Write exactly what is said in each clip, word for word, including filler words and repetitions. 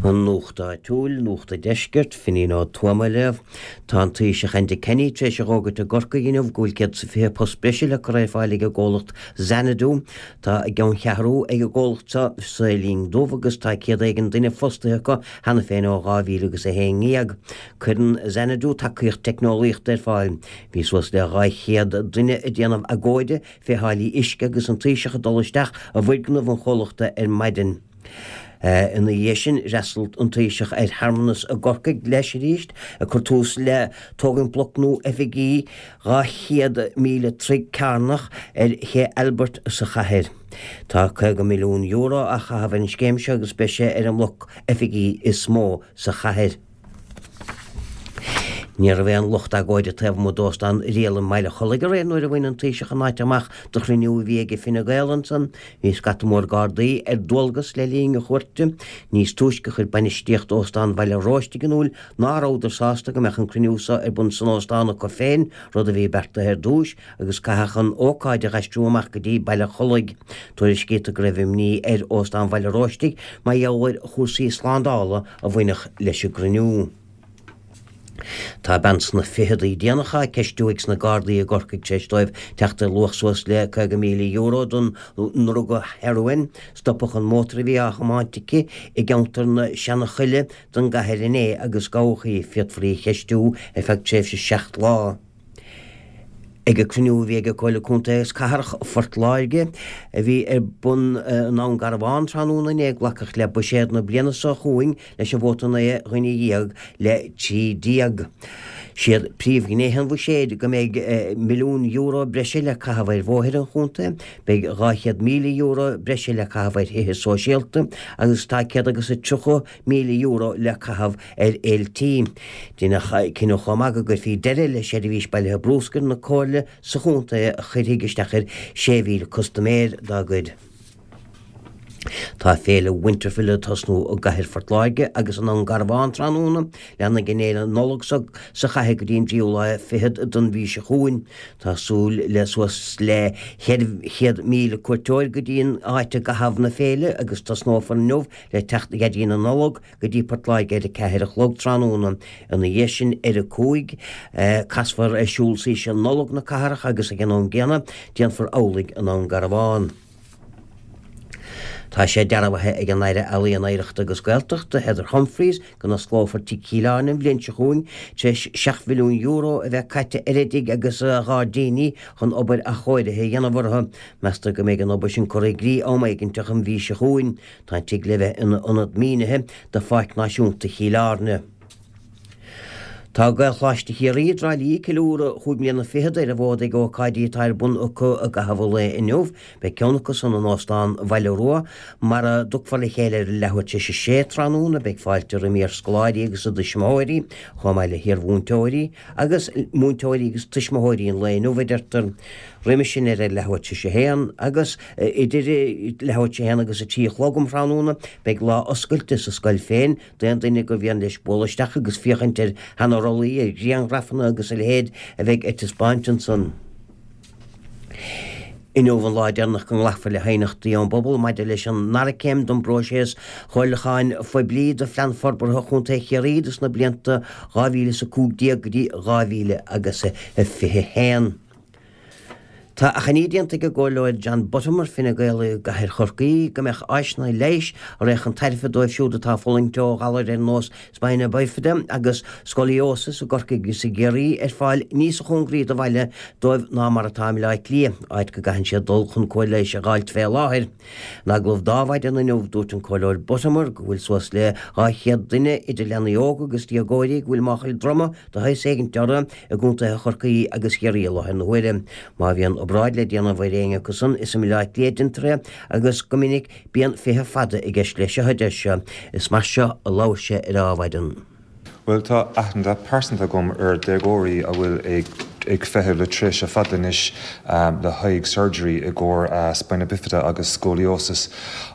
An Nuacht Áitiúil, Nuacht an Deiscirt, Finín Ó Tuama á léamh. Tá an Taoiseach Enda Kenny tar éis a fhógairt i gCorcaigh inniu go bhfuil céad is a fiche post breise le cur ar fáil ag an gcomhlacht Xanadu. Tá a gceanncheathrú ag an gcomhlacht seo sa Linn Dubh agus tá céad éigin duine fostaithe acu cheana féin ó dhá mhíle agus a haon déag. Cuireann Xanadu tacaíocht teicneolaíochta ar fáil. Bhí suas le dhá chéad duine ag déanamh agóide fé tháillí uisce agus an Taoiseach ag dul isteach i bhfoirgneamh an chomhlachta ar maidin. Ina dhiaidh sin, d'fhreastail an Taoiseach ar shearmanas i gCorcaigh leis arís, ag cur tús le tógaint bloc nua oifigí dhá chéad míle troigh cearnach ar Ché Albert sa chathair. Tá caoga milliún euro á chaitheamh ar an scéim seo agus beidh sé ar an mbloc oifigí is mó sa chathair. Ní raibh aon lucht agóide taobh amuigh d'Óstán Irial i mBaile Chollaigh aréir nuair a bhain an Taoiseach an áit amach do chruinniú a bhí ag Fine Gael ansan. Bhí scata mór Gardaí ar dualgas le linn a chuairte. Níos túisce chuir bainistíocht Óstán Bhaile Róistigh in iúl ná rabhadar sásta go mbeadh an cruinniú seo ar bun san óstán acu féin, rud a bhí beartaithe ar dtúis, agus caitheadh an ócáid a dh'aistriú amach go dtí Baile Chollaigh. Tuairiscítear go raibh imní ar Óstán Bhaile Róistigh mar gheall ar chúrsaí slándála a bhainfeadh leis an gcruinniú. Tá bean sna ficheadaí déanacha á ceistiú ag sna Gardaí i gCorcaigh tar éis dóibh teacht ar luach suas le caoga míle euro don ndruga heroin. Stopadh an mótar a bhí á thiomáint aici i gceantar na Seanachoille den gcathair inné agus gabhadh í. Féadfar í a cheistiú ar feadh tréimhse seacht lá. Ag an cruinniú a bhí ag Comhairle Contae agus Cathrach Phort Láirge, a bhí ar bun i nDún Garbhán tráthnóna inné, glacadh le buiséad na bliana seo chugainn leis an vóta naoi dhuine dhéag le trí déag. Siad príomhghnéithe an bhuiséid go mbeidh milliún euro breise le caitheamh ar bhóithre an chontae, beidh dhá chéad míle euro breise le caitheamh ar thithe sóisialta agus tá céad agus a tríocha míle euro le caitheamh ar fhéiltí. Deineadh cinneadh chomh maith go gcuirfí deireadh le seirbhís bailithe brúscair na Comhairle sa chontae a chuirfidh isteach ar sé mhíle custaiméir dá gcuid. Tá féile Winterfile ag tosnú i gcathair Phort Láirge agus i nDún Garbhán tráthnóna. Leanfaidh an fhéile Nollag seo sa chathair go dtí an tríú lá fichead den mhí seo chugainn. Tá súil le suas le ceithre chéad míle cuairteoir go dtí an áit i gcaitheamh na féile agus tosnófar inniu le teacht Dhaidí na Nollag go dtí Port Láirge ar a ceathair a chlog tráthnóna. Ina dhiaidh sin ar a cúig, casfar ar siúl Saoirse Nollag na cathrach agus ag an am gcéanna déanfar amhlaidh i nDún Garbhán. Tá sé dearbhaithe ag an Aire Ealaíon, Oidhreachta agus Gaeltachta, Heather Humphreys, go n-osclófar Tigh Chill Airne an bhliain seo chugainn tar éis seacht mhilliún euro a bheith caite ar an dtigh agus a ghairdíní chun obair athchóirithe a dhéanamh orthu. Meastar go mbeidh an obair sin curtha i gcrích am éiginteach an mhí seo chugainn. Tá an tigh le bheith ina ionad mínithe do Pháirc Náisiúnta Chill Airne. Tá Gaelcholáiste Chiarraí i dTrá Lí ag ceiliúradh chúig mbliana fichead ar an bhfód ag ócáidí atá ar bun acu i gcaitheamh an lae inniu. Beidh ceann acu san in Óstán Bhaile Rua mar a dtiocfar le chéile ar a leathuair tar éis a sé tráthnóna. Beidh fáilte roimh iarscoláirí agus a dtuismitheoirí, chomh maith le hiarmhúinteoirí agus múinteoirí agus tuismitheoirí an lae inniu, a deirtear. Roimhe sin ar a leathuair tar éis a haon agus idir leathuair tar éis a haon agus a trí a chlog um thráthnóna beidh lá oscailte sa scoil féin d'aon duine gur mhian leis bualadh isteach agus féachaint ar sheana-rollaí, ar ghrianghrafanna agus a leithéid a bheidh ar taispeáint ansan. Inniu an lá deireanach go nglacfar le haighneachtaí ón bpobal maidir leis an ndara céim den bpróiseas chomhairliúcháin phoiblí do Phlean Forbartha Chontae Chiarraí dos na blianta dhá mhíle is a cúig déag go dtí dhá mhíle agus a fiche haon. Tá achainí déanta ag an gComhairleoir John Buttimer, Fine Gael i gCathair Chorcaí, go mbeadh áiseanna leighis a raghadh chun tairbhe dóibh siúd atá ag fulaingt ó ghalair ar nós Spina Bifida agus Scoliosis i gCorcaigh agus i gCiarraí ar fáil níos cóngaraí do bhaile dóibh ná mar atá i mBaile Átha Cliath, áit go gcaitheann siad dul chun cóir leighis a dh'fháilt fé láthair. In agallamh d'Adhmhaidin inniu, dúirt an Comhairleoir Buttimer go bhfuil suas le dhá chéad duine, idir leanaí óga agus déagóirí, go bhfuil máchail droma de shaghas éigint orthu i gcontaetha Chorcaí agus Chiarraí i láthair na huaire. Má bhíonn obráid le déanamh ar éinne acu san, is i mBaile Átha Cliath a deintear é agus go minic bíonn feitheamh fada i gceist leis seo, a deir sé. Is mar seo a labhair sé ar Adhmhaidin. Bhuel, tá aithne pearsanta agam ar déagóirí a bhfuil ag ag feitheamh le tréimhse fada anois le haghaidh surgery i gcomhair spina bifida agus scoliosis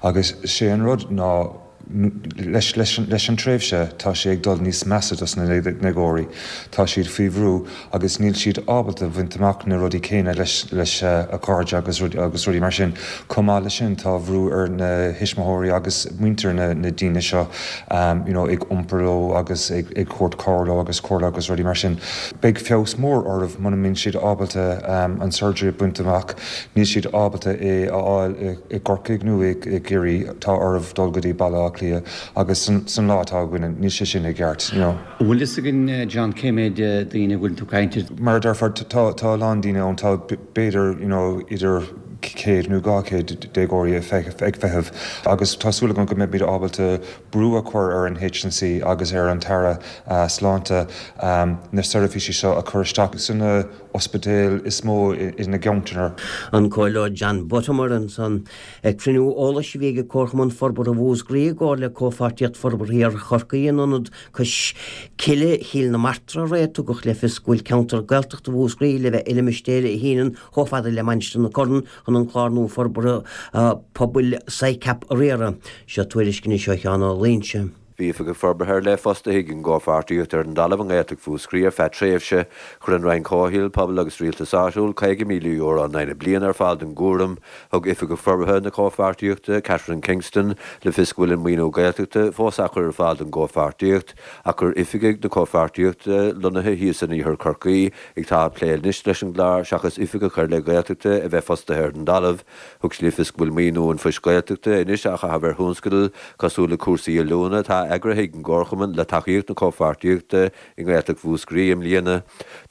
agus sé an rud ná leis, leis, leis an tréimhse tá sé ag dul níos measa dos na déagóirí. Tá siad faoi bhrú agus níl siad ábalta bhaint amach na rudaí céanna leis leis a cairde agus agus rudaí mar sin. Chomh maith leis sin tá brú ar na tuismitheoirí agus muintir na, na daoine seo um, you know, ag iompar leo agus ag, ag tabhairt cabhair leo agus comhairle agus rudaí mar sin. Beidh feabhas mór orthu muna mbíonn siad ábalta um, an surgery baint amach, níl siad ábalta é a fháil i gCorcaigh nó i gCiarraí tá orthu dul go dtí Baile Átha Cliath agus san, san lá atá againn níl sé sin i gceart. You know. Bhfuil fhios againn John cé mhéad daoine bhfuil tú caint? Mar deirtear tá tá lán daoine ann tá b'fhéidir you know, idir céad nó dhá chéad déagóirí ag feitheamh agus tá súil agam go mbeidh ábalta brú a chur ar an HSE agus ar an tAire uh, sláinte um, na seirbhísí seo a chur isteach sna ospidéil is mó ina gceantar. An Comhairleoir John Buttimer ansan ag cruinniú eolais a bhí ag Comharchumann Forbartha Mhúscraí i gcomhar le Comhpháirtíocht Forbartha Chorcaí in ionad Cois Cille Chill na Martra aréir tugadh le fios go bhfuil ceantar Gaeltachta Mhúscraí le bheith i limistéar a shíneann chomh fada le Mainistir na Corann chun an clár nua forbartha pobail SICAP a riaradh. Seo tuairisc anois ó Sheán Ó Loingsigh. Bhí oifigeach forbartha ar leith fostaithe ag an gcomhpháirtíocht ar an dtalamh i nGaeltacht Mhúscraí ar feadh tréimhse chuir an Roinn Comhshaoil, Pobail agus Rialtais Áitiúil caoga míle euro in aghaidh na bliana ar fáil don gcúram. Thug oifigeach forbartha na comhpháirtíochta, Catherine Kingston, le fios go bhfuil an maoiniú Gaeltachta fós á chur ar fáil don gcomhpháirtíocht, ach gur oifigigh na comhpháirtíochta lonnaithe thíos in iarthar Chorcaí atá ag plé anois leis an gclár seachas oifigeach ar leith Gaeltachta a bheith fostaithe ar an dtalamh. Thug sí le fios go bhfuil maoiniú an Phoist Gaeltachta anois á chaitheamh ar thionscadail cosúil le cúrsaí oiliúna atá eagraithe ag an gComharchumann le tacaíocht na comhpháirtíochta i nGaeltacht Mhúscraí i mbliana.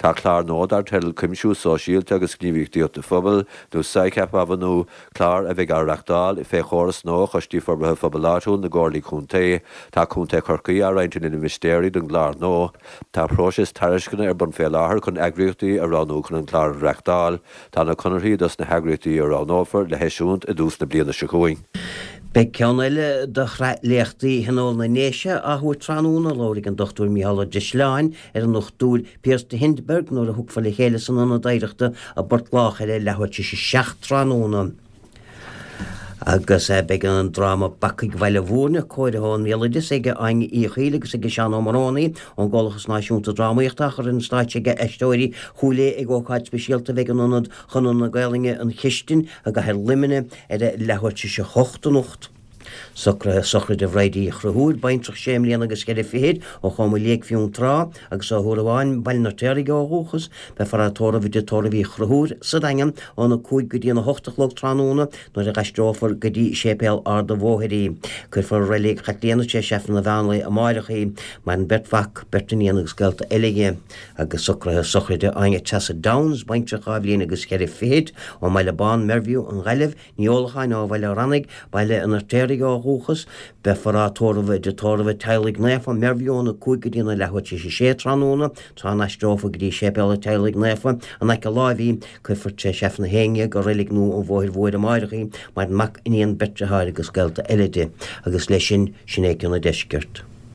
Tá clár nua dar teideal Cuimsiú Sóisialta agus Gníomhaíochtaí Phobail nó SICAP á bhunú, clár a bheidh á reáchtáil fé chóras nua Choistí Forbartha Phobail Áitiúil na gComhairlí Contae. Tá Contae Chorcaí á roinnt ina limistéirí don gclár nua. Tá próiseas tairisceana ar bun fé láthair chun eagraíochtaí a roghnú chun an clár a reáchtáil. Tá na conarthaí dos na heagraíochtaí a roghnófar le heisiúint i dtús na bliana seo chugainn. Beidh ceann eile de shraith léachtaí Thionól na nDéise á thabhairt tráthnóna labharfaidh an Dr Mícheál Ó Drisleáin ar an Dr Piers de Hindeberg nuair a thiocfar le chéile san ionad oidhreachta i bPort Lách ar a leathuair tar éis a seacht tráthnóna. Agus beidh an dráma Bacaigh Bhaile Mhúirne cóirithe ón mbéaloideas ag Áine Uí Chaoil agus ag Seán Ó Morónaí ón gComhlachas Náisiúnta Drámaíochta á chur ar an stáitse ag Aisteoirí Chúil Aodha ag ócáid speisialta a bheidh in ionad Chonradh na Gaelainne an Chistin i gcathair Luimnigh ar a leathuair tar éis a hocht anocht. Socruithe sochraide Bhridie Uí Chonchúir, baintreach sé mbliana agus ceithre fichid ó Chom Léig Fionntrá agus ó Thuar Bháin, Baile an Fheirtéaraigh ó dhúchas, beifear á tórramh i dtigh tórraimh Uí Chonchúir sa Daingean óna cúig go dtí an hocht a chlog tráthnóna nuair a aistreofar go dtí séipéal Ard an Bhóthair í. Cuirfear i Reilig Chaitlíona tar éis Aifreann an mheánlae amárach í, maireann beirt mhac, beirt iníon agus gaolta eile di. Agus socruithe sochraide Áine Treasa Downes, baintreach dhá bhliain agus ceithre fichid ó mBaile Bán, Mervue, an Ghaillimh, Ní Ólacháin ó Bhaile Rannaigh, Baile an Fheirtéaraigh ó dhúchas, beifear á tórramh i dtigh tórraimh Teaghlaigh Naofa, Mervue óna cúig go dtí an leathuair tar éis a sé tráthnóna, tráth a n-aistreofar go dtí séipéal an Teaghlaigh Naofa in aice láimhe í, cuirfear tar éis Aifreann a haon déag i Reilig Nua an Bhóthair Mhóir amárach í, maireann mac, iníon, beirt deartháir agus gaolta eile di. Agus leis sin, sin é Cian an Deiscirt.